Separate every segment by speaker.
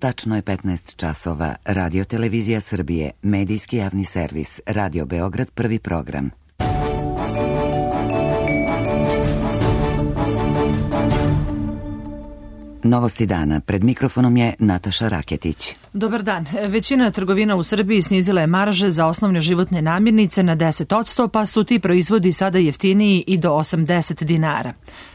Speaker 1: Tačno je 15 časova. Radio Televizija Srbije, medijski javni servis, Radio Beograd, prvi program. Novosti dana. Pred mikrofonom je Nataša Raketić.
Speaker 2: Dobar dan. Većina trgovina u Srbiji snizila je marže za osnovne životne namirnice na 10%, pa su ti proizvodi sada jeftiniji i do 80 dinara.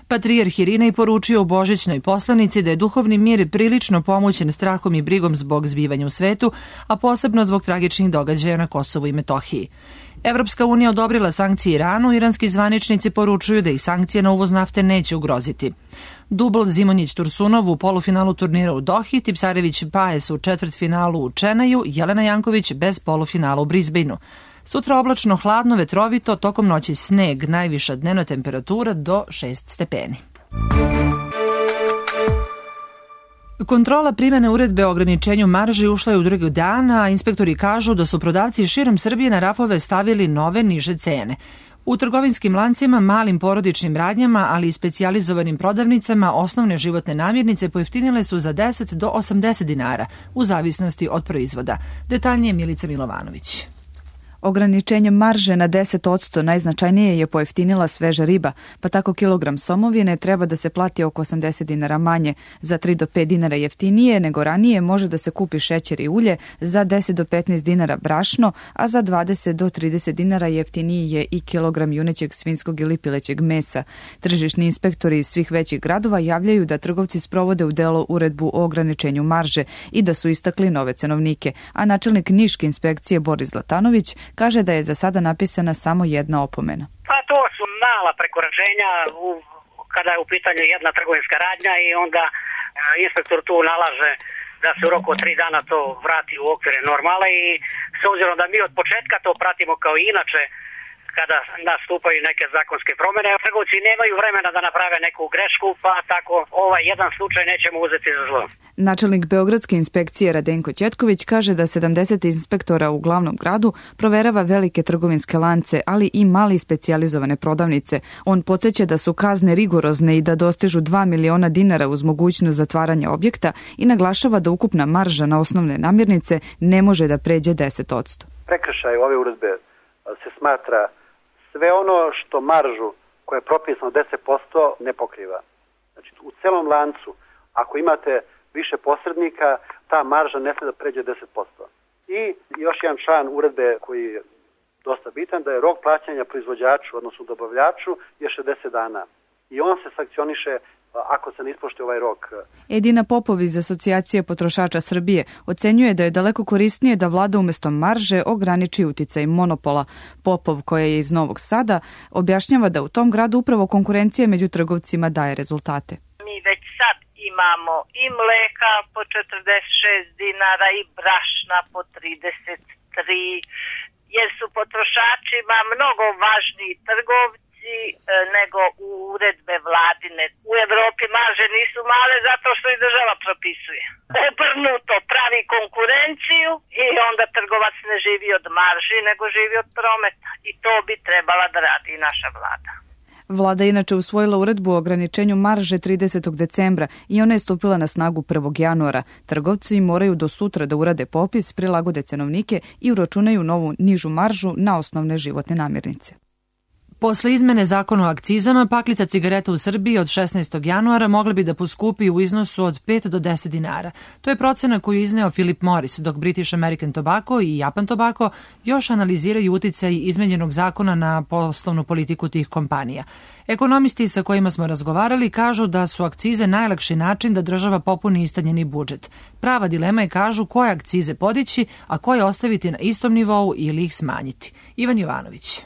Speaker 2: Patrijarh Irinej poručio u božićnoj poslanici da je duhovni mir prilično pomoćen strahom i brigom zbog zbivanja u svetu, a posebno zbog tragičnih događaja na Kosovu i Metohiji. Evropska unija odobrila sankcije Iranu, iranski zvaničnici poručuju da ih sankcije na uvoz nafte neće ugroziti. Dubl Zimonjić-Tursunov u polufinalu turnira u Dohi, Tipsarević-Paes u četvrtfinalu u Čenaju, Jelena Janković bez polufinala u Brisbaneu. Sutra oblačno, hladno, vetrovito, tokom noći sneg, najviša dnevna temperatura do 6 stepeni. Kontrola primjene uredbe o ograničenju marži ušla je u drugi dan, a inspektori kažu da su prodavci širom Srbije na rafove stavili nove niže cene. U trgovinskim lancima, malim porodičnim radnjama, ali i specijalizovanim prodavnicama, osnovne životne namirnice pojeftinile su za 10 do 80 dinara, u zavisnosti od proizvoda. Detaljnije Milica Milovanović.
Speaker 3: Ograničenjem marže na 10% najznačajnije je pojeftinila sveža riba, pa tako kilogram somovine treba da se plati oko 80 dinara manje. Za 3 do 5 dinara jeftinije nego ranije može da se kupi šećer i ulje, za 10 do 15 dinara brašno, a za 20 do 30 dinara jeftiniji je i kilogram junećeg, svinjskog ili pilećeg mesa. Tržišni inspektori iz svih većih gradova javljaju da trgovci sprovode u delo uredbu o ograničenju marže i da su istakli nove cenovnike, a načelnik Niške inspekcije Boris Zlatanović kaže da je za sada napisana samo jedna opomena.
Speaker 4: Pa to su mala prekoračenja kada je u pitanju jedna trgovinska radnja i onda inspektor tu nalaže da se u roku od 3 dana to vrati u okvire normale i s obzirom da mi od početka to pratimo kao i inače kada nastupaju neke zakonske promjene, trgovci nemaju vremena da naprave neku grešku, pa tako ovaj jedan slučaj nećemo uzeti za zlo.
Speaker 3: Načelnik Beogradske inspekcije Radenko Ćetković kaže da 70 inspektora u glavnom gradu proverava velike trgovinske lance, ali i mali specijalizovane prodavnice. On podsjeća da su kazne rigorozne i da dostižu 2 miliona dinara uz mogućnost zatvaranja objekta i naglašava da ukupna marža na osnovne namirnice ne može da pređe 10%.
Speaker 5: Prekršaj ove uredbe se smatra sve ono što maržu koja je propisano 10% ne pokriva. Znači u celom lancu ako imate više posrednika, ta marža ne smije da pređe 10%. I još jedan član uredbe koji je dosta bitan, da je rok plaćanja proizvođaču, odnosno dobavljaču, je 60 dana. I on se sankcioniše ako se ne ispoštuje ovaj rok.
Speaker 3: Edina Popov iz Asocijacije potrošača Srbije ocenjuje da je daleko korisnije da vlada umjesto marže ograniči uticaj monopola. Popov, koja je iz Novog Sada, objašnjava da u tom gradu upravo konkurencija među trgovcima daje rezultate.
Speaker 6: Mi već sad imamo i mleka po 46 dinara i brašna po 33, jer su potrošačima mnogo važniji trgovci nego uredbe vladine. U Evropi marže nisu male zato što i država propisuje. Obrnuto pravi konkurenciju i onda trgovac ne živi od marži nego živi od prometa. I to bi trebala da radi i naša vlada.
Speaker 3: Vlada inače usvojila uredbu o ograničenju marže 30. decembra i ona je stupila na snagu 1. januara. Trgovci moraju do sutra da urade popis, prilagode cenovnike i uračunaju novu nižu maržu na osnovne životne namirnice.
Speaker 2: Posle izmene zakona o akcizama, paklica cigareta u Srbiji od 16. januara mogla bi da poskupi u iznosu od 5 do 10 dinara. To je procena koju je izneo Philip Morris, dok British American Tobacco i Japan Tobacco još analiziraju uticaj izmenjenog zakona na poslovnu politiku tih kompanija. Ekonomisti sa kojima smo razgovarali kažu da su akcize najlakši način da država popuni istanjeni budžet. Prava dilema je, kažu, koje akcize podići, a koje ostaviti na istom nivou ili ih smanjiti. Ivan Jovanović.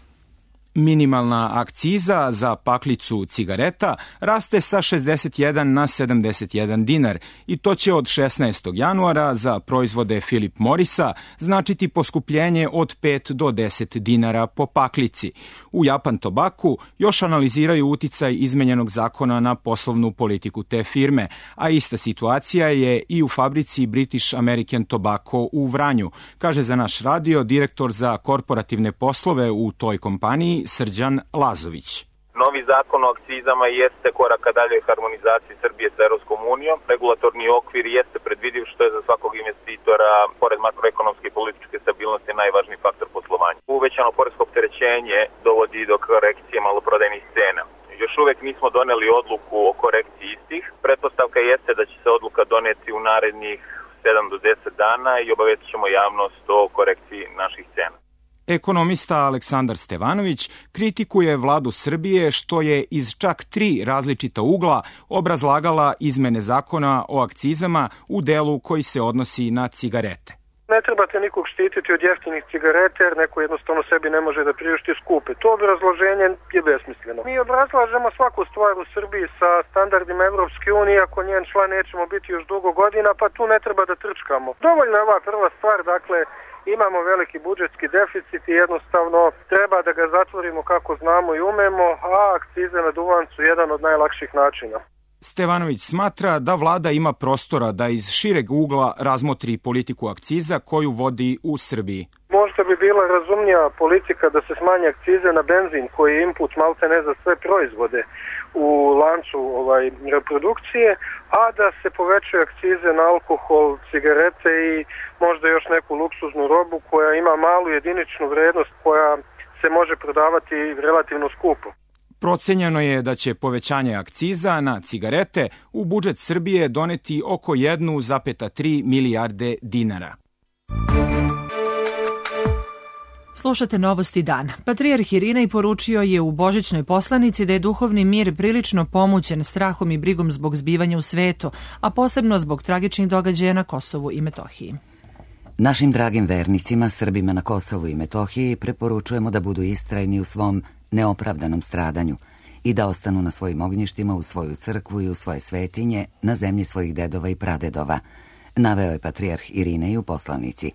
Speaker 7: Minimalna akciza za paklicu cigareta raste sa 61 na 71 dinar i to će od 16. januara za proizvode Philip Morrisa značiti poskupljenje od 5 do 10 dinara po paklici. U Japan Tobacco još analiziraju uticaj izmenjenog zakona na poslovnu politiku te firme, a ista situacija je i u fabrici British American Tobacco u Vranju, kaže za naš radio direktor za korporativne poslove u toj kompaniji Srđan Lazović.
Speaker 8: Novi zakon o akcizama jeste koraka daljoj harmonizaciji Srbije sa Evropskom unijom. Regulatorni okvir jeste predvidiv, što je za svakog investitora, pored makroekonomske i političke stabilnosti, najvažniji faktor poslovanja. Uvećano poresko opterećenje dovodi do korekcije maloprodajnih cena. Još uvek nismo doneli odluku o korekciji istih. Pretpostavka jeste da će se odluka doneti u narednih 7 do 10 dana i obavetit ćemo javnost o korekciji naših cena.
Speaker 7: Ekonomista Aleksandar Stevanović kritikuje vladu Srbije što je iz čak 3 različita ugla obrazlagala izmene zakona o akcizama u delu koji se odnosi na cigarete.
Speaker 9: Ne trebate nikog štititi od jeftinih cigareta jer neko jednostavno sebi ne može da priušti skupe. To obrazloženje je besmisleno. Mi obrazlažemo svaku stvar u Srbiji sa standardima Evropske unije, ako njen član nećemo biti još dugo godina, pa tu ne treba da trčkamo. Dovoljno je ova prva stvar, dakle, imamo veliki budžetski deficit i jednostavno treba da ga zatvorimo kako znamo i umemo, a akcize na duvan su jedan od najlakših načina.
Speaker 7: Stevanović smatra da vlada ima prostora da iz šireg ugla razmotri politiku akciza koju vodi u Srbiji.
Speaker 9: Možda bi bila razumnija politika da se smanje akcize na benzin koji je input maltene za sve proizvode u lancu reprodukcije, a da se povećaju akcize na alkohol, cigarete i možda još neku luksuznu robu koja ima malu jediničnu vrednost koja se može prodavati relativno skupo.
Speaker 7: Procenjeno je da će povećanje akciza na cigarete u budžet Srbije doneti oko 1,3 milijarde dinara.
Speaker 2: Slušate Novosti dana. Patrijarh Irinej poručio je u božićnoj poslanici da je duhovni mir prilično pomućen strahom i brigom zbog zbivanja u svetu, a posebno zbog tragičnih događaja na Kosovu i Metohiji.
Speaker 1: Našim dragim vernicima, Srbima na Kosovu i Metohiji, preporučujemo da budu istrajni u svom neopravdanom stradanju i da ostanu na svojim ognjištima, u svoju crkvu i u svoje svetinje, na zemlji svojih dedova i pradedova, naveo je patrijarh Irinej u poslanici.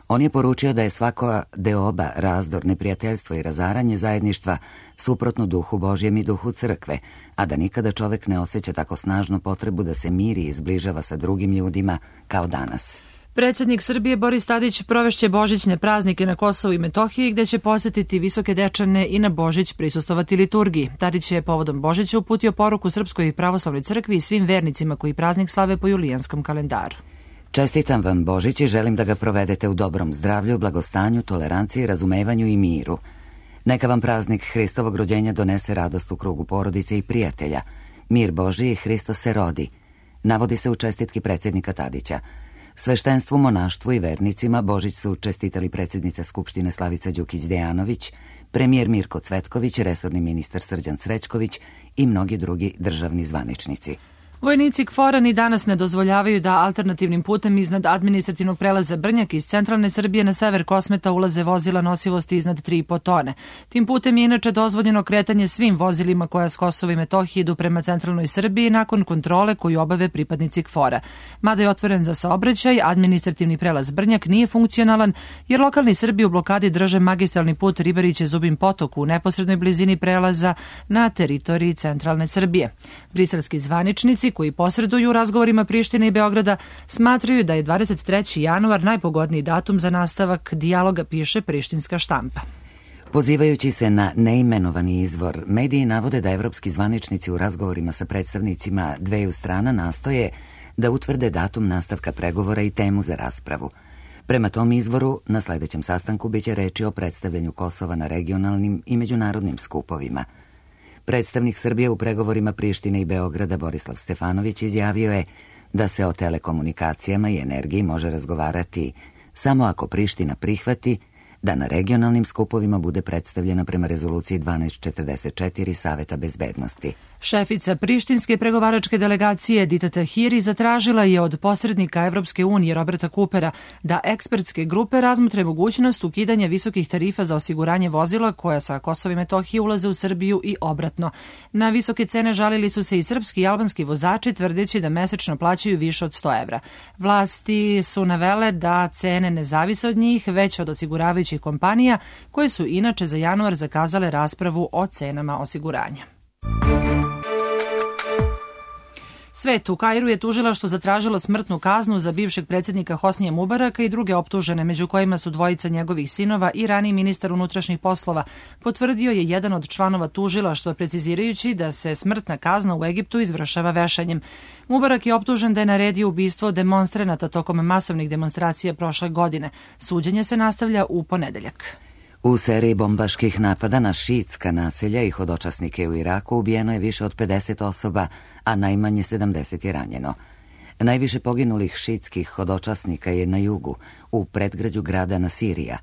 Speaker 1: On je poručio da je svaka deoba, razdor, neprijateljstvo i razaranje zajedništva suprotno duhu Božjem i duhu crkve, a da nikada čovek ne osjeća tako snažnu potrebu da se miri i zbližava sa drugim ljudima kao danas.
Speaker 2: Predsjednik Srbije Boris Tadić provešće božićne praznike na Kosovu i Metohiji, gde će posetiti Visoke Dečane i na Božić prisustvovati liturgiji. Tadić je povodom Božića uputio poruku Srpskoj pravoslavnoj crkvi i svim vernicima koji praznik slave po julijanskom kalendaru.
Speaker 1: Čestitam vam Božić i želim da ga provedete u dobrom zdravlju, blagostanju, toleranciji, razumevanju i miru. Neka vam praznik Hristovog rođenja donese radost u krugu porodice i prijatelja. Mir Božiji, Hristos se rodi, navodi se u čestitki predsjednika Tadića. Sveštenstvu, monaštvu i vernicima Božić su čestitali predsjednica Skupštine Slavica Đukić-Dejanović, premijer Mirko Cvetković, resorni ministar Srđan Srećković i mnogi drugi državni zvaničnici.
Speaker 2: Vojnici KFOR-a ni danas ne dozvoljavaju da alternativnim putem iznad administrativnog prelaza Brnjak iz centralne Srbije na sever Kosmeta ulaze vozila nosivosti iznad 3,5 tone. Tim putem je inače dozvoljeno kretanje svim vozilima koja s Kosova i Metohije idu prema centralnoj Srbiji nakon kontrole koju obave pripadnici KFOR-a. Mada je otvoren za saobraćaj, administrativni prelaz Brnjak nije funkcionalan jer lokalni Srbi u blokadi drže magistralni put Ribariće-Zubin potok u neposrednoj blizini prelaza na teritoriji centralne Srbije. Briselski zvaničnici koji posreduju u razgovorima Prištine i Beograda smatraju da je 23. januar najpogodniji datum za nastavak dijaloga, piše prištinska štampa.
Speaker 1: Pozivajući se na neimenovani izvor, mediji navode da evropski zvaničnici u razgovorima sa predstavnicima dveju strana nastoje da utvrde datum nastavka pregovora i temu za raspravu. Prema tom izvoru, na sledećem sastanku biće reči o predstavljanju Kosova na regionalnim i međunarodnim skupovima. Predstavnik Srbije u pregovorima Prištine i Beograda Borislav Stefanović izjavio je da se o telekomunikacijama i energiji može razgovarati samo ako Priština prihvati da na regionalnim skupovima bude predstavljena prema rezoluciji 1244 Saveta bezbednosti.
Speaker 2: Šefica prištinske pregovaračke delegacije Edita Tahiri zatražila je od posrednika Evropske unije Roberta Coopera da ekspertske grupe razmotre mogućnost ukidanja visokih tarifa za osiguranje vozila koja sa Kosova i Metohije ulaze u Srbiju i obratno. Na visoke cene žalili su se i srpski i albanski vozači tvrdeći da mesečno plaćaju više od 100 evra. Vlasti su navele da cene ne zavise od njih, već od osiguravajućih kompanija koje su inače za januar zakazale raspravu o cenama osiguranja. Svet u Kairu je tužilaštvo zatražilo smrtnu kaznu za bivšeg predsjednika Hosnija Mubaraka i druge optužene, među kojima su dvojica njegovih sinova i raniji ministar unutrašnjih poslova, potvrdio je jedan od članova tužilaštva, precizirajući da se smrtna kazna u Egiptu izvršava vešanjem. Mubarak je optužen da je naredio ubistvo demonstranata tokom masovnih demonstracija prošle godine. Suđenje se nastavlja u ponedeljak.
Speaker 1: U seriji bombaških napada na šiitska naselja i hodočasnike u Iraku ubijeno je više od 50 osoba, a najmanje 70 je ranjeno. Najviše poginulih šiitskih hodočasnika je na jugu, u predgrađu grada Nasirija.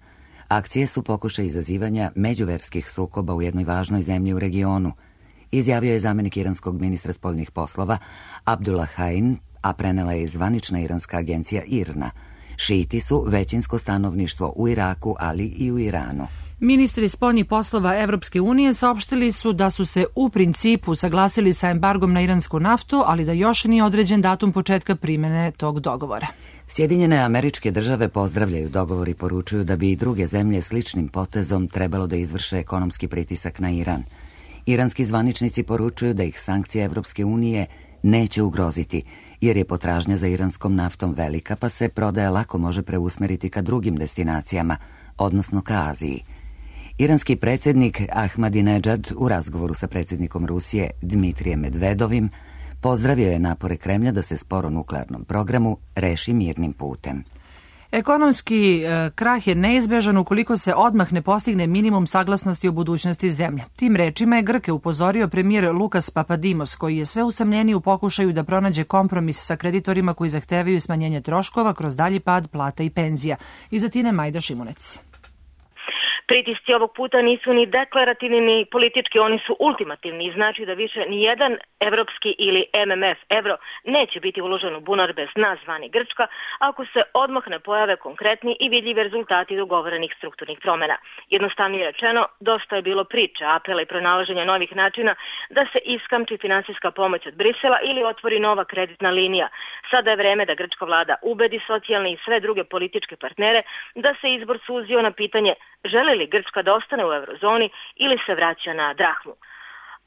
Speaker 1: Akcije su pokušaj izazivanja međuverskih sukoba u jednoj važnoj zemlji u regionu, izjavio je zamenik iranskog ministra spoljnih poslova Abdullah Hain, a prenela je zvanična iranska agencija IRNA. Šiiti su većinsko stanovništvo u Iraku, ali i u Iranu.
Speaker 2: Ministri spoljnih poslova Evropske unije saopštili su da su se u principu saglasili sa embargom na iransku naftu, ali da još nije određen datum početka primjene tog dogovora.
Speaker 1: Sjedinjene Američke Države pozdravljaju dogovor i poručuju da bi i druge zemlje sličnim potezom trebalo da izvrše ekonomski pritisak na Iran. Iranski zvaničnici poručuju da ih sankcije Evropske unije neće ugroziti, jer je potražnja za iranskom naftom velika, pa se prodaja lako može preusmeriti ka drugim destinacijama, odnosno ka Aziji. Iranski predsjednik Ahmadinejad u razgovoru sa predsjednikom Rusije Dmitrijem Medvedovim pozdravio je napore Kremlja da se spor o nuklearnom programu reši mirnim putem.
Speaker 2: Ekonomski krah je neizbežan ukoliko se odmah ne postigne minimum saglasnosti o budućnosti zemlje. Tim rečima je Grke upozorio premijer Lukas Papadimos, koji je sve usamljeniji u pokušaju da pronađe kompromis sa kreditorima koji zahtevaju smanjenje troškova kroz dalji pad plata i penzija. Iz Atine Majda Šimunec.
Speaker 10: Pritisci ovog puta nisu ni deklarativni ni politički, oni su ultimativni i znači da više ni jedan evropski ili MMF evro neće biti uložen u bunar bez nas zvani Grčka ako se odmah ne pojave konkretni i vidljivi rezultati dogovorenih strukturnih promjena. Jednostavnije rečeno, dosta je bilo priče, apela i pronalaženja novih načina da se iskamči finansijska pomoć od Brisela ili otvori nova kreditna linija. Sada je vreme da grčka vlada ubedi socijalne i sve druge političke partnere da se izbor suzio na pitanje želi li Grčka da ostane u eurozoni ili se vraća na drahmu.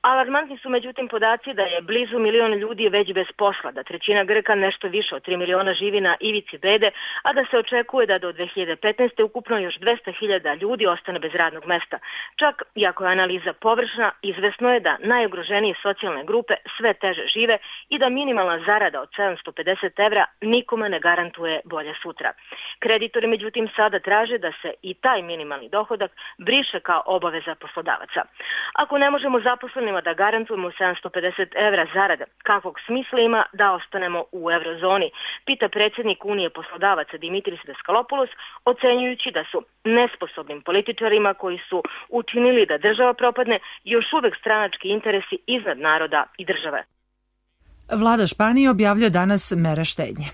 Speaker 10: Alarmantni su međutim podaci da je blizu 1 milion ljudi već bez posla, da trećina Grka, nešto više od 3 miliona, živi na ivici bede, a da se očekuje da do 2015. ukupno još 200.000 ljudi ostane bez radnog mesta. Čak, iako je analiza površna, izvesno je da najugroženije socijalne grupe sve teže žive i da minimalna zarada od 750 evra nikome ne garantuje bolje sutra. Kreditori međutim sada traže da se i taj minimalni dohodak briše kao obaveza poslodavaca. Ako ne možemo zaposlenima da garantujemo 750 evra zarade, kakvog smisla ima da ostanemo u eurozoni, pita predsjednik Unije poslodavaca Dimitris Daskalopoulos, ocenjujući da su nesposobnim političarima koji su učinili da država propadne još uvek stranački interesi iznad naroda i države.
Speaker 2: Vlada Španije objavljuje danas mere štednje.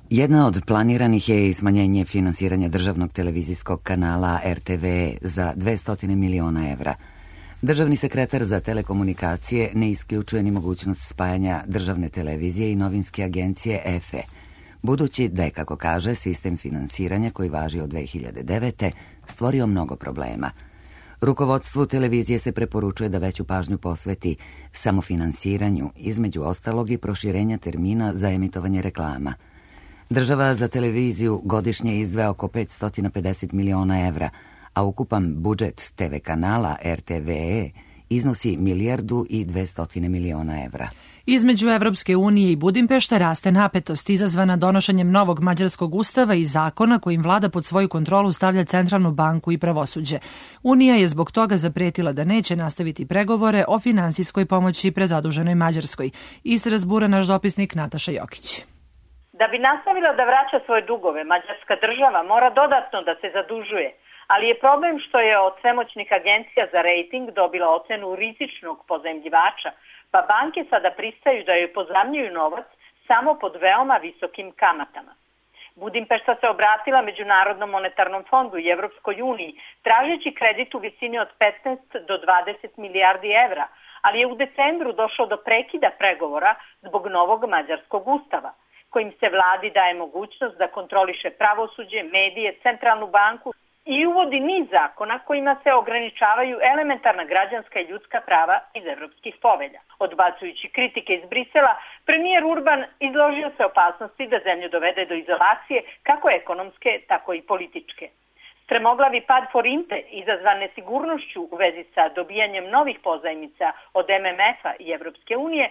Speaker 1: Jedna od planiranih je i smanjenje finansiranja državnog televizijskog kanala RTV za 200 miliona evra. Državni sekretar za telekomunikacije ne isključuje ni mogućnost spajanja državne televizije i novinske agencije EFE, budući da je, kako kaže, sistem finansiranja koji važi od 2009. stvorio mnogo problema. Rukovodstvu televizije se preporučuje da veću pažnju posveti samofinansiranju, između ostalog i proširenja termina za emitovanje reklama. Država za televiziju godišnje izdvaja oko 550 miliona evra, a ukupan budžet TV kanala RTVE iznosi 1,2 milijarde evra.
Speaker 2: Između Evropske unije i Budimpešta raste napetost izazvana donošenjem novog mađarskog ustava i zakona kojim vlada pod svoju kontrolu stavlja centralnu banku i pravosuđe. Unija je zbog toga zapretila da neće nastaviti pregovore o finansijskoj pomoći prezaduženoj Mađarskoj. Iz Strasbura naš dopisnik Nataša Jokić.
Speaker 11: Da bi nastavila da vraća svoje dugove, mađarska država mora dodatno da se zadužuje. Ali je problem što je od svemoćnih agencija za rejting dobila ocenu rizičnog pozajmljivača, pa banke sada pristaju da joj pozajmljuju novac samo pod veoma visokim kamatama. Budimpešta se obratila Međunarodnom monetarnom fondu i Evropskoj uniji, tražeći kredit u visini od 15 do 20 milijardi evra, ali je u decembru došlo do prekida pregovora zbog novog mađarskog ustava, kojim se vladi daje mogućnost da kontroliše pravosuđe, medije, centralnu banku i uvodi niz zakona kojima se ograničavaju elementarna građanska i ljudska prava iz evropskih povelja. Odbacujući kritike iz Brisela, premijer Urban izložio se opasnosti da zemlju dovede do izolacije kako ekonomske, tako i političke. Stremoglavi pad forinte izazvan nesigurnošću u vezi sa dobijanjem novih pozajmica od MMF-a i Evropske unije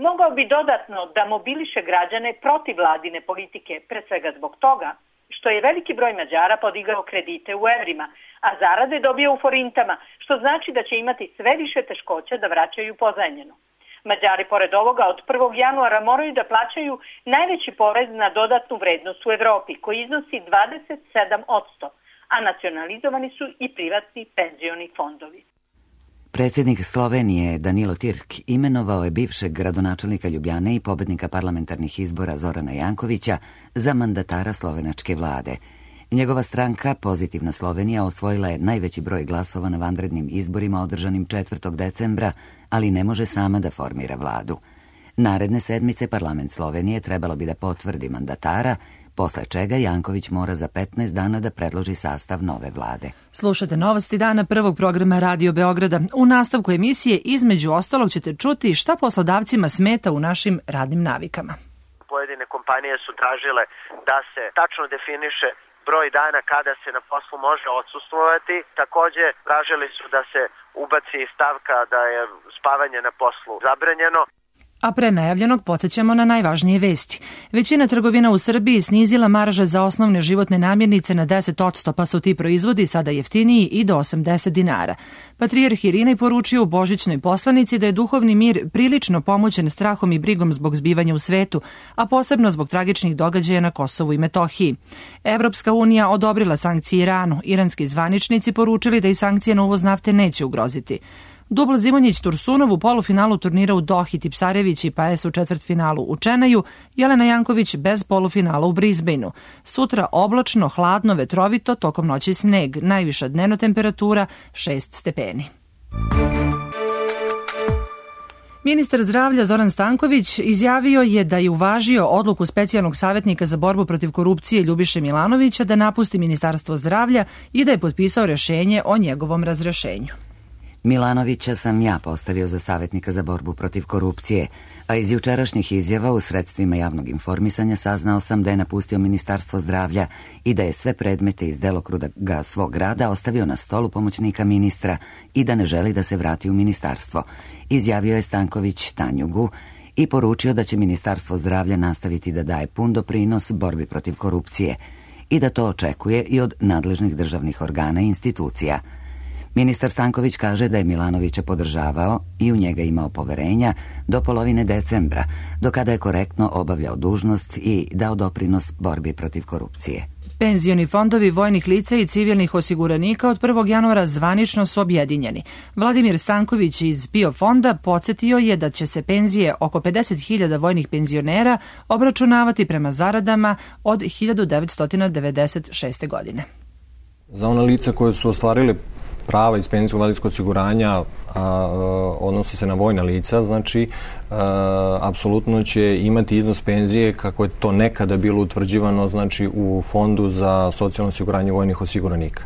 Speaker 11: mogao bi dodatno da mobiliše građane protiv vladine politike, pre svega zbog toga što je veliki broj Mađara podigao kredite u evrima, a zarade dobio u forintama, što znači da će imati sve više teškoća da vraćaju pozajmljeno. Mađari pored ovoga od 1. januara moraju da plaćaju najveći porez na dodatnu vrednost u Evropi, koji iznosi 27%, a nacionalizovani su i privatni penzioni fondovi.
Speaker 1: Predsjednik Slovenije Danilo Tirk imenovao je bivšeg gradonačelnika Ljubljane i pobednika parlamentarnih izbora Zorana Jankovića za mandatara slovenačke vlade. Njegova stranka, Pozitivna Slovenija, osvojila je najveći broj glasova na vanrednim izborima održanim 4. decembra, ali ne može sama da formira vladu. Naredne sedmice parlament Slovenije trebalo bi da potvrdi mandatara, posle čega Janković mora za 15 dana da predloži sastav nove vlade.
Speaker 2: Slušate Novosti dana prvog programa Radio Beograda. U nastavku emisije između ostalog ćete čuti šta poslodavcima smeta u našim radnim navikama.
Speaker 12: Pojedine kompanije su tražile da se tačno definiše broj dana kada se na poslu može odsustvovati. Takođe, tražili su da se ubaci stavka da je spavanje na poslu zabranjeno.
Speaker 2: A pre najavljenog podsjećamo na najvažnije vesti. Većina trgovina u Srbiji snizila marže za osnovne životne namirnice na 10%, pa su ti proizvodi sada jeftiniji i do 80 dinara. Patrijarh Irinej poručio u božićnoj poslanici da je duhovni mir prilično pomoćen strahom i brigom zbog zbivanja u svetu, a posebno zbog tragičnih događaja na Kosovu i Metohiji. Evropska unija odobrila sankcije Iranu. Iranski zvaničnici poručili da i sankcije na uvoz nafte neće ugroziti. Dubl Zimonjić Tursunov u polufinalu turnira u Dohi, Tipsarević i Paes u četvrtfinalu u Čenaju, Jelena Janković bez polufinala u Brisbaneu. Sutra oblačno, hladno, vetrovito, tokom noći sneg, najviša dnevna temperatura 6 stepeni. Ministar zdravlja Zoran Stanković izjavio je da je uvažio odluku specijalnog savjetnika za borbu protiv korupcije Ljubiše Milanovića da napusti Ministarstvo zdravlja i da je potpisao rješenje o njegovom razrešenju.
Speaker 1: Milanovića sam ja postavio za savjetnika za borbu protiv korupcije, a iz jučerašnjih izjava u sredstvima javnog informisanja saznao sam da je napustio Ministarstvo zdravlja i da je sve predmete iz delokruga svog rada ostavio na stolu pomoćnika ministra i da ne želi da se vrati u ministarstvo. Izjavio je Stanković Tanjugu i poručio da će Ministarstvo zdravlja nastaviti da daje pun doprinos borbi protiv korupcije i da to očekuje i od nadležnih državnih organa i institucija. Ministar Stanković kaže da je Milanovića podržavao i u njega imao poverenja do polovine decembra, do kada je korektno obavljao dužnost i dao doprinos borbi protiv korupcije.
Speaker 2: Penzioni fondovi vojnih lica i civilnih osiguranika od 1. januara zvanično su objedinjeni. Vladimir Stanković iz PIO fonda podsjetio je da će se penzije oko 50.000 vojnih penzionera obračunavati prema zaradama od 1996. godine.
Speaker 13: Za ona lica koje su ostvarile prava iz penzijskog invalidskog osiguranja, odnosi se na vojna lica, znači apsolutno će imati iznos penzije kako je to nekada bilo utvrđivano, znači u Fondu za socijalno osiguranje vojnih osiguranika.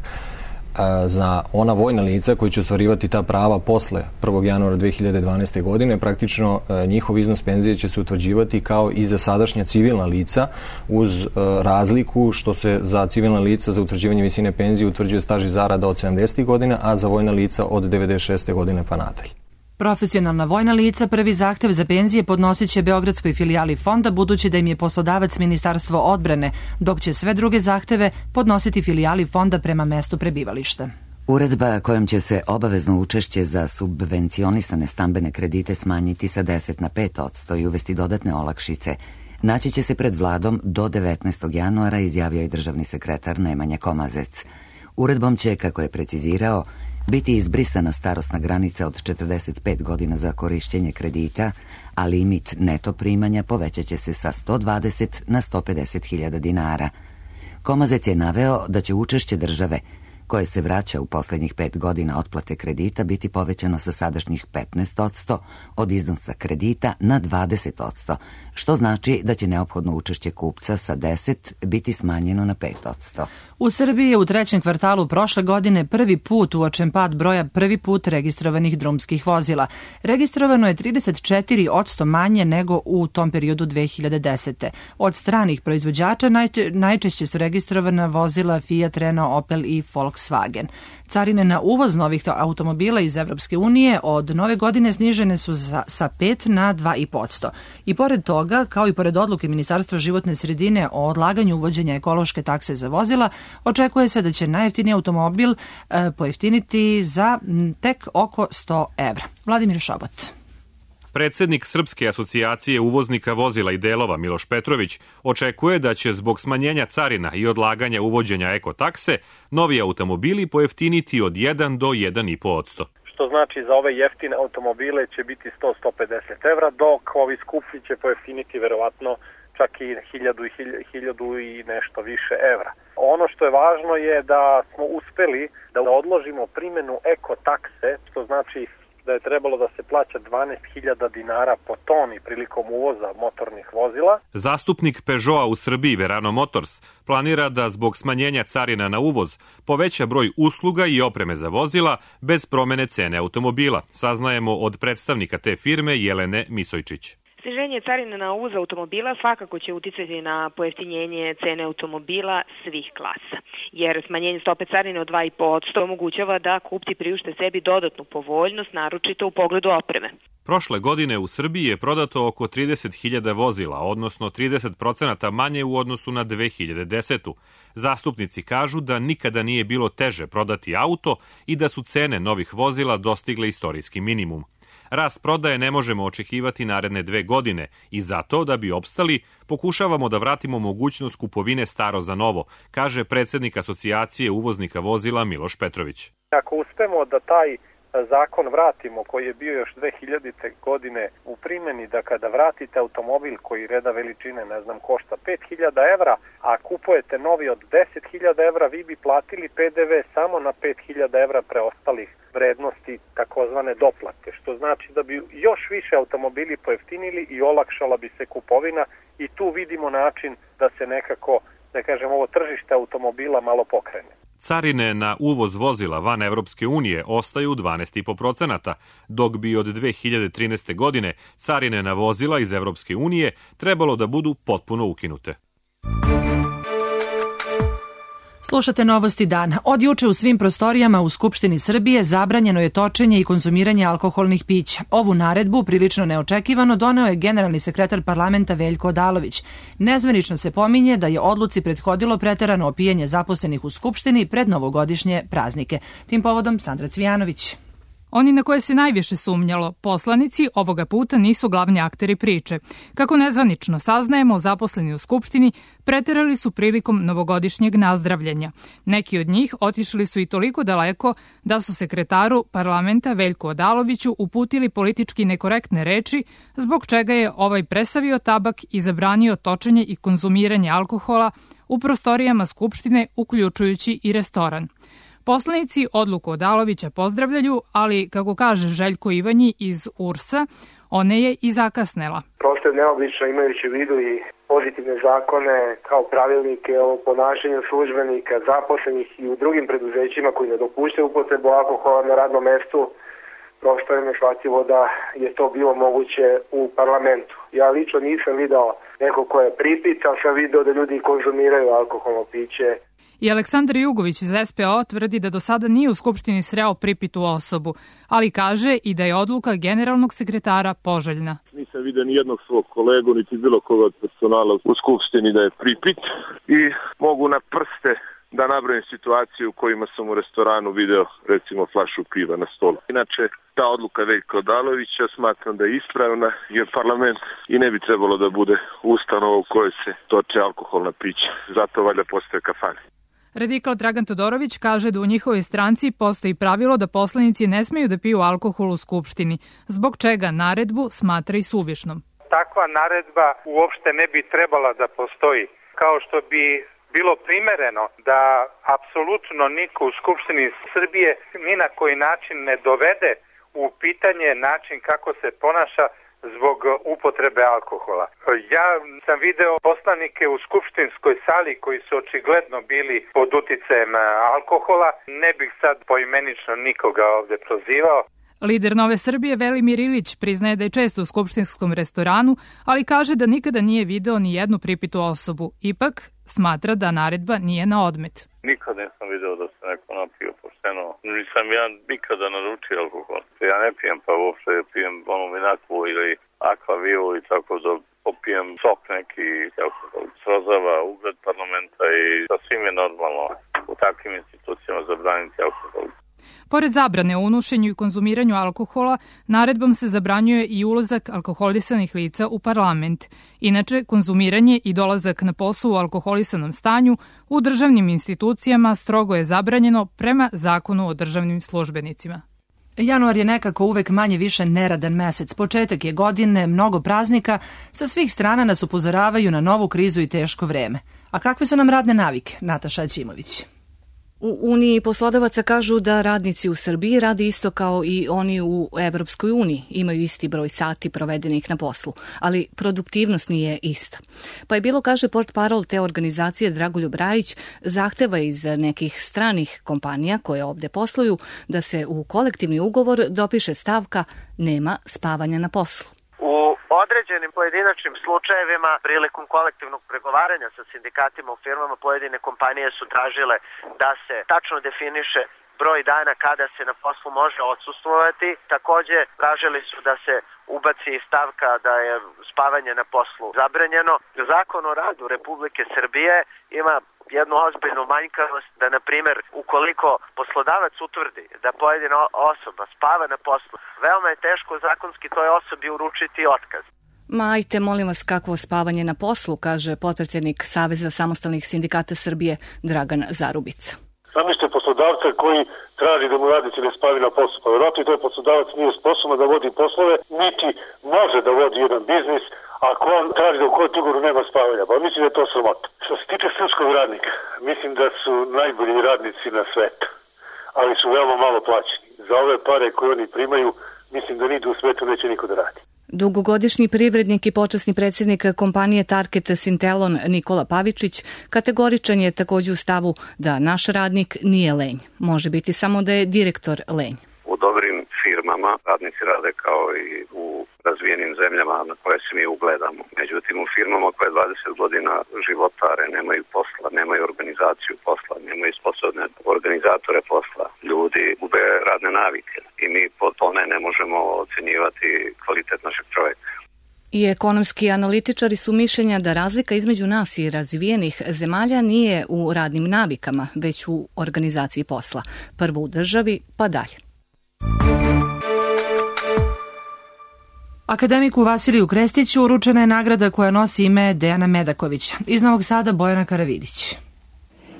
Speaker 13: Za ona vojna lica koji će ostvarivati ta prava posle 1. januara 2012. godine, praktično njihov iznos penzije će se utvrđivati kao i za sadašnja civilna lica, uz razliku što se za civilna lica za utvrđivanje visine penzije utvrđuje staž i zarada od 70. godina, a za vojna lica od 96. godine pa nadalje.
Speaker 2: Profesionalna vojna lica prvi zahtev za penzije podnosit će Beogradskoj filijali fonda, budući da im je poslodavac Ministarstvo odbrane, dok će sve druge zahteve podnositi filijali fonda prema mestu prebivališta.
Speaker 1: Uredba kojom će se obavezno učešće za subvencionisane stambene kredite smanjiti sa 10 na 5% i uvesti dodatne olakšice naći će se pred vladom do 19. januara, izjavio je državni sekretar Nemanja Komazec. Uredbom će, kako je precizirao, biti izbrisana starosna granica od 45 godina za korišćenje kredita, a limit neto primanja povećat će se sa 120 na 150.000 dinara. Komazec je naveo da će učešće države, koje se vraća u posljednjih 5 godina otplate kredita, biti povećano sa sadašnjih 15% od iznosa kredita na 20%, što znači da će neophodno učešće kupca sa 10 biti smanjeno na 5%.
Speaker 2: U Srbiji je u trećem kvartalu prošle godine prvi put uočen pad broja prvi put registrovanih drumskih vozila. Registrovano je 34% manje nego u tom periodu 2010. Od stranih proizvođača najčešće su registrovana vozila Fiat, Renault, Opel i Volkswagen. Carine na uvoz novih automobila iz Evropske unije od nove godine snižene su sa 5 na 2,5%. I pored toga, kao i pored odluke Ministarstva životne sredine o odlaganju uvođenja ekološke takse za vozila, očekuje se da će najjeftiniji automobil pojeftiniti za tek oko 100 evra. Vladimir Šobot.
Speaker 14: Predsednik Srpske asocijacije uvoznika vozila i delova Miloš Petrović očekuje da će zbog smanjenja carina i odlaganja uvođenja ekotakse novi automobili pojeftiniti od 1 do 1,5%.
Speaker 9: Što znači za ove jeftine automobile će biti 100-150 evra, dok ovi skuplji će pojeftiniti verovatno čak i 1000 i nešto više evra. Ono što je važno je da smo uspeli da odložimo primjenu ekotakse, što znači da je trebalo da se plaća 12.000 dinara po toni prilikom uvoza motornih vozila.
Speaker 14: Zastupnik Peugeota u Srbiji, Verano Motors, planira da zbog smanjenja carina na uvoz poveća broj usluga i opreme za vozila bez promene cene automobila, saznajemo od predstavnika te firme Jelene Misojčić.
Speaker 15: Sniženje carina na uvoz automobila svakako će uticati na pojeftinjenje cene automobila svih klasa, jer smanjenje stope carine od 2,5% omogućava da kupci priušte sebi dodatnu povoljnost, naročito u pogledu opreme.
Speaker 14: Prošle godine u Srbiji je prodato oko 30.000 vozila, odnosno 30% manje u odnosu na 2010. Zastupnici kažu da nikada nije bilo teže prodati auto i da su cene novih vozila dostigle istorijski minimum. Rast prodaje ne možemo očekivati naredne 2 godine i zato, da bi opstali, pokušavamo da vratimo mogućnost kupovine staro za novo, kaže predsednik asocijacije uvoznika vozila Miloš Petrović.
Speaker 9: Ako uspemo da taj zakon vratimo, koji je bio još 2000. godine u primjeni, da kada vratite automobil koji reda veličine, košta 5.000 evra, a kupujete novi od 10.000 evra, vi bi platili PDV samo na 5.000 evra preostalih vrednosti, takozvane doplate, što znači da bi još više automobili pojeftinili i olakšala bi se kupovina i tu vidimo način da se nekako, ovo tržište automobila malo pokrene.
Speaker 14: Carine na uvoz vozila van Evropske unije ostaju 12,5%, dok bi od 2013. godine carine na vozila iz Evropske unije trebalo da budu potpuno ukinute.
Speaker 2: Slušate Novosti dana. Od juče u svim prostorijama u Skupštini Srbije zabranjeno je točenje i konzumiranje alkoholnih pića. Ovu naredbu, prilično neočekivano, doneo je generalni sekretar parlamenta Veljko Odalović. Nezvanično se pominje da je odluci prethodilo preterano opijanje zaposlenih u Skupštini pred novogodišnje praznike. Tim povodom Sandra Cvijanović.
Speaker 16: Oni na koje se najviše sumnjalo, poslanici, ovoga puta nisu glavni akteri priče. Kako nezvanično saznajemo, zaposleni u Skupštini preterali su prilikom novogodišnjeg nazdravljanja. Neki od njih otišli su i toliko daleko da su sekretaru parlamenta Veljku Odaloviću uputili politički nekorektne reči, zbog čega je ovaj presavio tabak i zabranio točenje i konzumiranje alkohola u prostorijama Skupštine, uključujući i restoran. Poslanici odluku Odalovića pozdravljaju, ali, kako kaže Željko Ivanji iz URS-a, ona je i zakasnela.
Speaker 17: Prosto je neobično, imajući u vidu i pozitivne zakone kao pravilnike o ponašanju službenika, zaposlenih i u drugim preduzećima koji ne dopuštaju upotrebu alkohola na radnom mestu. Prosto je neshvatljivo da je to bilo moguće u parlamentu. Ja lično nisam video neko ko je pripit, ali sam video da ljudi konzumiraju alkoholno piće.
Speaker 16: I Aleksandar Jugović iz SPO tvrdi da do sada nije u Skupštini sreo pripitu osobu, ali kaže i da je odluka generalnog sekretara poželjna.
Speaker 18: Nisam vidio ni jednog svog kolegu, niti bilo koga od personala u Skupštini da je pripit i mogu na prste da nabrojim situaciju u kojima sam u restoranu video recimo flašu piva na stolu. Inače, ta odluka Veljka Odalovića smatram da je ispravna, jer parlament i ne bi trebalo da bude ustanova u kojoj se toče alkoholna pića. Zato valjda postoje kafane.
Speaker 16: Radikal Dragan Todorović kaže da u njihovoj stranci postoji pravilo da poslanici ne smeju da piju alkohol u Skupštini, zbog čega naredbu smatra i suvišnom.
Speaker 19: Takva naredba uopšte ne bi trebala da postoji, kao što bi bilo primereno da apsolutno niko u Skupštini Srbije ni na koji način ne dovede u pitanje način kako se ponaša zbog upotrebe alkohola. Ja sam video poslanike u skupštinskoj sali koji su očigledno bili pod uticajem alkohola. Ne bih sad poimenično nikoga ovde prozivao.
Speaker 16: Lider Nove Srbije Velimir Ilić priznaje da je često u skupštinskom restoranu, ali kaže da nikada nije video ni jednu pripitu osobu. Ipak smatra da naredba nije na odmet.
Speaker 20: Nikad nisam video da se neko napio pošteno. Nisam ja nikada naručio alkohol. Ja ne pijem, pa uopšte pijem onu Minaku ili Akvaviu i tako da popijem sok neki alkohol. Srozava ugled parlamenta i sasvim je normalno u takvim institucijama zabraniti alkohol.
Speaker 16: Pored zabrane o unošenju i konzumiranju alkohola, naredbom se zabranjuje i ulazak alkoholisanih lica u parlament. Inače, konzumiranje i dolazak na posao u alkoholisanom stanju u državnim institucijama strogo je zabranjeno prema Zakonu o državnim službenicima.
Speaker 2: Januar je nekako uvek manje više neradan mesec. Početak je godine, mnogo praznika, sa svih strana nas upozoravaju na novu krizu i teško vreme. A kakve su nam radne navike? Nataša Ćimović.
Speaker 21: U Uniji poslodavaca kažu da radnici u Srbiji rade isto kao i oni u Evropskoj uniji. Imaju isti broj sati provedenih na poslu, ali produktivnost nije ista. Pa je bilo, kaže portparol te organizacije Dragoljub Rajić, zahteva iz nekih stranih kompanija koje ovde posluju da se u kolektivni ugovor dopiše stavka nema spavanja na poslu.
Speaker 12: U određenim pojedinačnim slučajevima prilikom kolektivnog pregovaranja sa sindikatima u firmama pojedine kompanije su tražile da se tačno definiše broj dana kada se na poslu može odsustvovati. Takođe tražili su da se ubaci stavka da je spavanje na poslu zabranjeno. Zakon o radu Republike Srbije ima jednu ozbiljnu manjkavost da, na primjer, ukoliko poslodavac utvrdi da pojedina osoba spava na poslu, veoma je teško zakonski toj osobi uručiti otkaz.
Speaker 21: Ma ajte, molim vas, kakvo spavanje na poslu, kaže potpredsjednik Saveza samostalnih sindikata Srbije Dragan Zarubica.
Speaker 22: Zamislite poslodavca koji traži da mu radnici ne spavi na poslu. Pa vjerojatno i taj poslodavac nije sposoban da vodi poslove, niti može da vodi jedan biznis ako on traži da u kolektivnom ugovoru nema spavanja. Pa mislim da je to sramota. Što se tiče srpskog radnika, mislim da su najbolji radnici na svetu, ali su veoma malo plaćeni. Za ove pare koje oni primaju, mislim da nigde u svetu neće niko da radi.
Speaker 21: Dugogodišnji privrednik i počasni predsjednik kompanije Target Sintelon Nikola Pavičić kategoričan je također u stavu da naš radnik nije lenj. Može biti samo da je direktor lenj.
Speaker 23: U dobrim firmama radnici rade kao i u razvijenim zemljama na koje se mi ugledamo. Međutim, u firmama koje 20 godina životare, nemaju posla, nemaju organizaciju posla, nemaju sposobne organizatore posla. Ljudi gube radne navike i mi po tome ne možemo ocenjivati kvalitet našeg čovjeka.
Speaker 21: I ekonomski analitičari su mišljenja da razlika između nas i razvijenih zemalja nije u radnim navikama, već u organizaciji posla. Prvo u državi, pa dalje.
Speaker 2: Akademiku Vasiliju Krestiću uručena je nagrada koja nosi ime Dejana Medakovića. Iz Novog Sada Bojana Karavidić.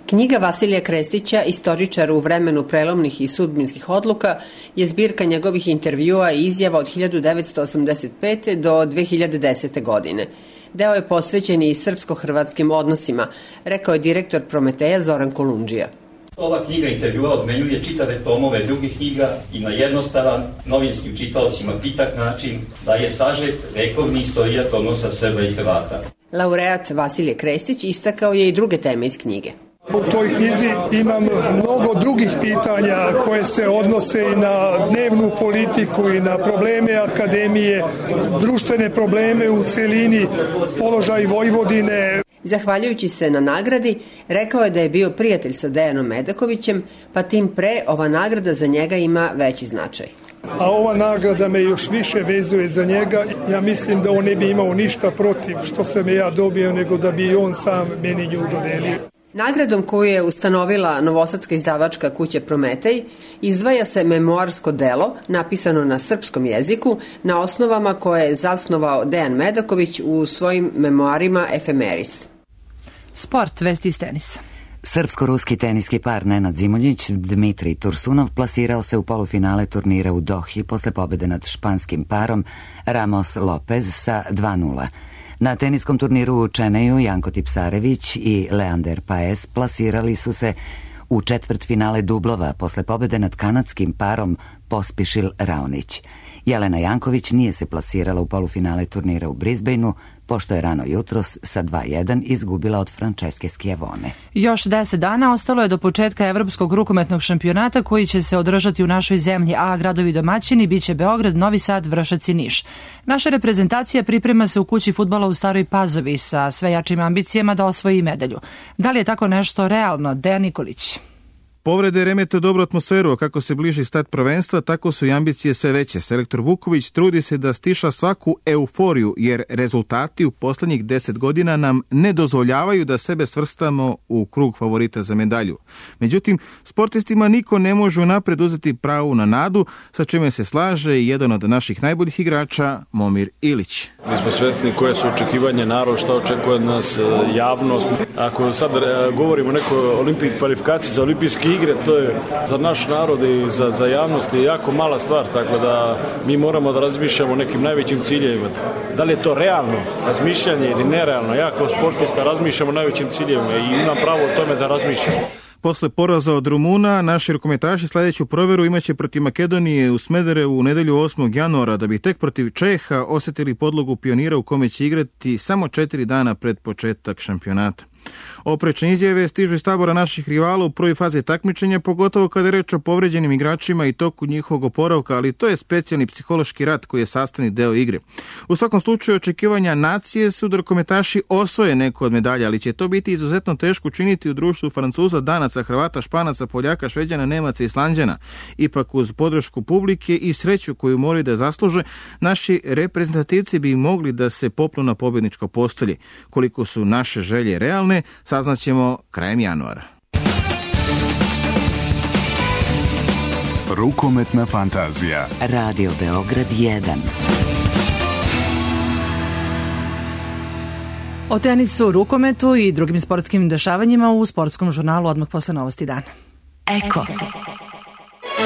Speaker 24: Knjiga Vasilija Krestića, istoričar u vremenu prelomnih i sudbinskih odluka, je zbirka njegovih intervjua i izjava od 1985. do 2010. godine. Deo je posvećen i srpsko-hrvatskim odnosima, rekao je direktor Prometeja Zoran Kolundžija.
Speaker 25: Ova knjiga intervjua odmenjuje čitave tomove drugih knjiga i na jednostavan, novinskim čitaocima pitak način daje sažet vekovni istorijat odnosa Srba i Hrvata.
Speaker 24: Laureat Vasilije Krestić istakao je i druge teme iz knjige.
Speaker 26: U toj knjizi imam mnogo drugih pitanja koje se odnose i na dnevnu politiku i na probleme akademije, društvene probleme u celini, položaj Vojvodine.
Speaker 24: Zahvaljujući se na nagradi, rekao je da je bio prijatelj sa Dejanom Medakovićem, pa tim pre ova nagrada za njega ima veći značaj.
Speaker 26: A ova nagrada me još više vezuje za njega. Ja mislim da on ne bi imao ništa protiv što sam ja dobio, nego da bi on sam meni nju dodelio.
Speaker 24: Nagradom koju je ustanovila novosadska izdavačka kuća Prometej izdvaja se memoarsko delo napisano na srpskom jeziku na osnovama koje je zasnovao Dejan Medaković u svojim memoarima Efemeris.
Speaker 2: Sport, vesti iz tenisa.
Speaker 1: Srpsko-ruski teniski par Nenad Zimonjić, Dmitrij Tursunov plasirao se u polufinale turnira u Dohi posle pobede nad španskim parom Ramos Lopez sa 2:0. Na teniskom turniru u Čeneju Janko Tipsarević i Leander Paes plasirali su se u četvrtfinale dublova posle pobjede nad kanadskim parom Pospišil-Raonić. Jelena Janković nije se plasirala u polufinale turnira u Brisbaneu, pošto je rano jutros sa 2:1 izgubila od Franceske Schiavone.
Speaker 2: Još 10 dana ostalo je do početka Evropskog rukometnog šampionata koji će se održati u našoj zemlji, a gradovi domaćini biće Beograd, Novi Sad, Vršac i Niš. Naša reprezentacija priprema se u kući fudbala u Staroj Pazovi sa sve jačim ambicijama da osvoji medalju. Da li je tako nešto realno? Dejan Nikolić.
Speaker 3: Povrede remete dobru atmosferu, a kako se bliži start prvenstva, tako su i ambicije sve veće. Selektor Vuković trudi se da stiša svaku euforiju, jer rezultati u poslednjih 10 godina nam ne dozvoljavaju da sebe svrstamo u krug favorita za medalju. Međutim, sportistima niko ne može unapred uzeti pravu na nadu, sa čime se slaže i jedan od naših najboljih igrača, Momir Ilić.
Speaker 4: Mi smo svesni koje su očekivanje narod, šta očekuje od nas javnost. Ako sad govorimo o nekoj kvalifikaciji za olimpijske igre, to je za naš narod i za javnost je jako mala stvar, tako da mi moramo da razmišljamo o nekim najvećim ciljevima. Da li je to realno razmišljanje ili nerealno? Ja kao sportista razmišljam o najvećim ciljevima i imam pravo o tome da razmišljam.
Speaker 3: Posle poraza od Rumuna, naši rukometaši sledeću proveru imaće protiv Makedonije u Smederevu u nedelju 8. januara, da bi tek protiv Čeha osetili podlogu pionira u kome će igrati samo 4 dana pred početak šampionata. Oprečne izjave stižu iz tabora naših rivala u prvoj fazi takmičenja, pogotovo kada je reč o povređenim igračima i toku njihovog oporavka, ali to je specijalni psihološki rat koji je sastavni deo igre. U svakom slučaju, očekivanja nacije su da rukometaši osvoje neku od medalja, ali će to biti izuzetno teško učiniti u društvu Francuza, Danaca, Hrvata, Španaca, Poljaka, Šveđana, Nemaca i Islanđana. Ipak uz podršku publike i sreću koju moraju da zasluže, naši reprezentativci bi mogli da se popnu na pobjedničko postolje. Koliko su naše želje realne, saznaćemo krajem januara.
Speaker 5: Rukometna fantazija.
Speaker 1: Radio Beograd 1.
Speaker 2: O tenisu, rukometu i drugim sportskim dešavanjima u sportskom žurnalu odmah posle novosti dana.
Speaker 6: Eko.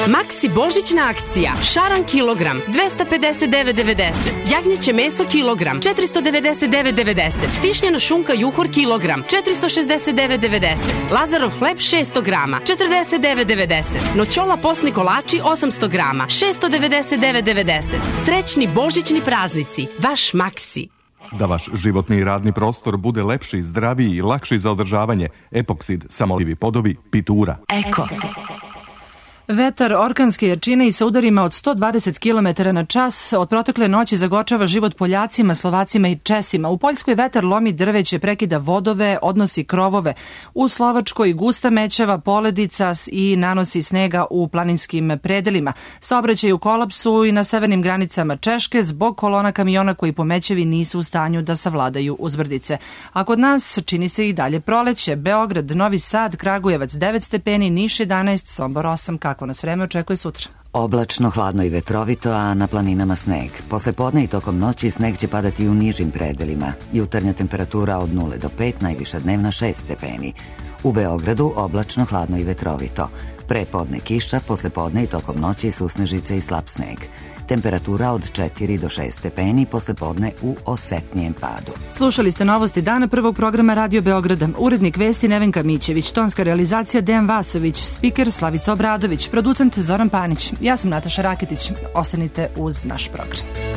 Speaker 6: Maxi božićna akcija. Šaran kilogram 259,90. Jagnjeće meso kilogram 499,90. Stišnjena šunka juhor kilogram 469,90. Lazarov hleb 600 grama 49,90. Noćola postni kolači 800 grama 699,90. Srećni božićni praznici. Vaš Maxi.
Speaker 7: Da vaš životni i radni prostor bude lepši, zdraviji i lakši za održavanje, Epoksid, samolivi podovi, Pitura.
Speaker 6: Eko.
Speaker 2: Vetar orkanske jačine i sa udarima od 120 km na čas od protekle noći zagočava život Poljacima, Slovacima i Česima. U Poljskoj vetar lomi drveće, prekida vodove, odnosi krovove. U Slovačkoj gusta mećava poledica i nanosi snega u planinskim predelima. Saobraćaj u kolapsu i na severnim granicama Češke zbog kolona kamiona koji po mećevi nisu u stanju da savladaju uzbrdice. A kod nas čini se i dalje proleće. Beograd, Novi Sad, Kragujevac 9 stepeni, Niš 11, Sombor 8. Kako nas vreme očekuje sutra?
Speaker 1: Oblačno, hladno i vetrovito, a na planinama sneg. Posle podne i tokom noći sneg će padati u nižim predelima. Jutarnja temperatura od 0 do 5, najviša dnevna 6 stepeni. U Beogradu oblačno, hladno i vetrovito. Pre podne kiša, posle podne i tokom noći susnežice i slab sneg. Temperatura od 4 do 6 stepeni, posle podne u osetnijem padu.
Speaker 2: Slušali ste novosti dana prvog programa Radio Beograda. Urednik vesti Nevenka Mićević, tonska realizacija Dejan Vasović, spiker Slavica Obradović, producent Zoran Panić. Ja sam Nataša Raketić. Ostanite uz naš program.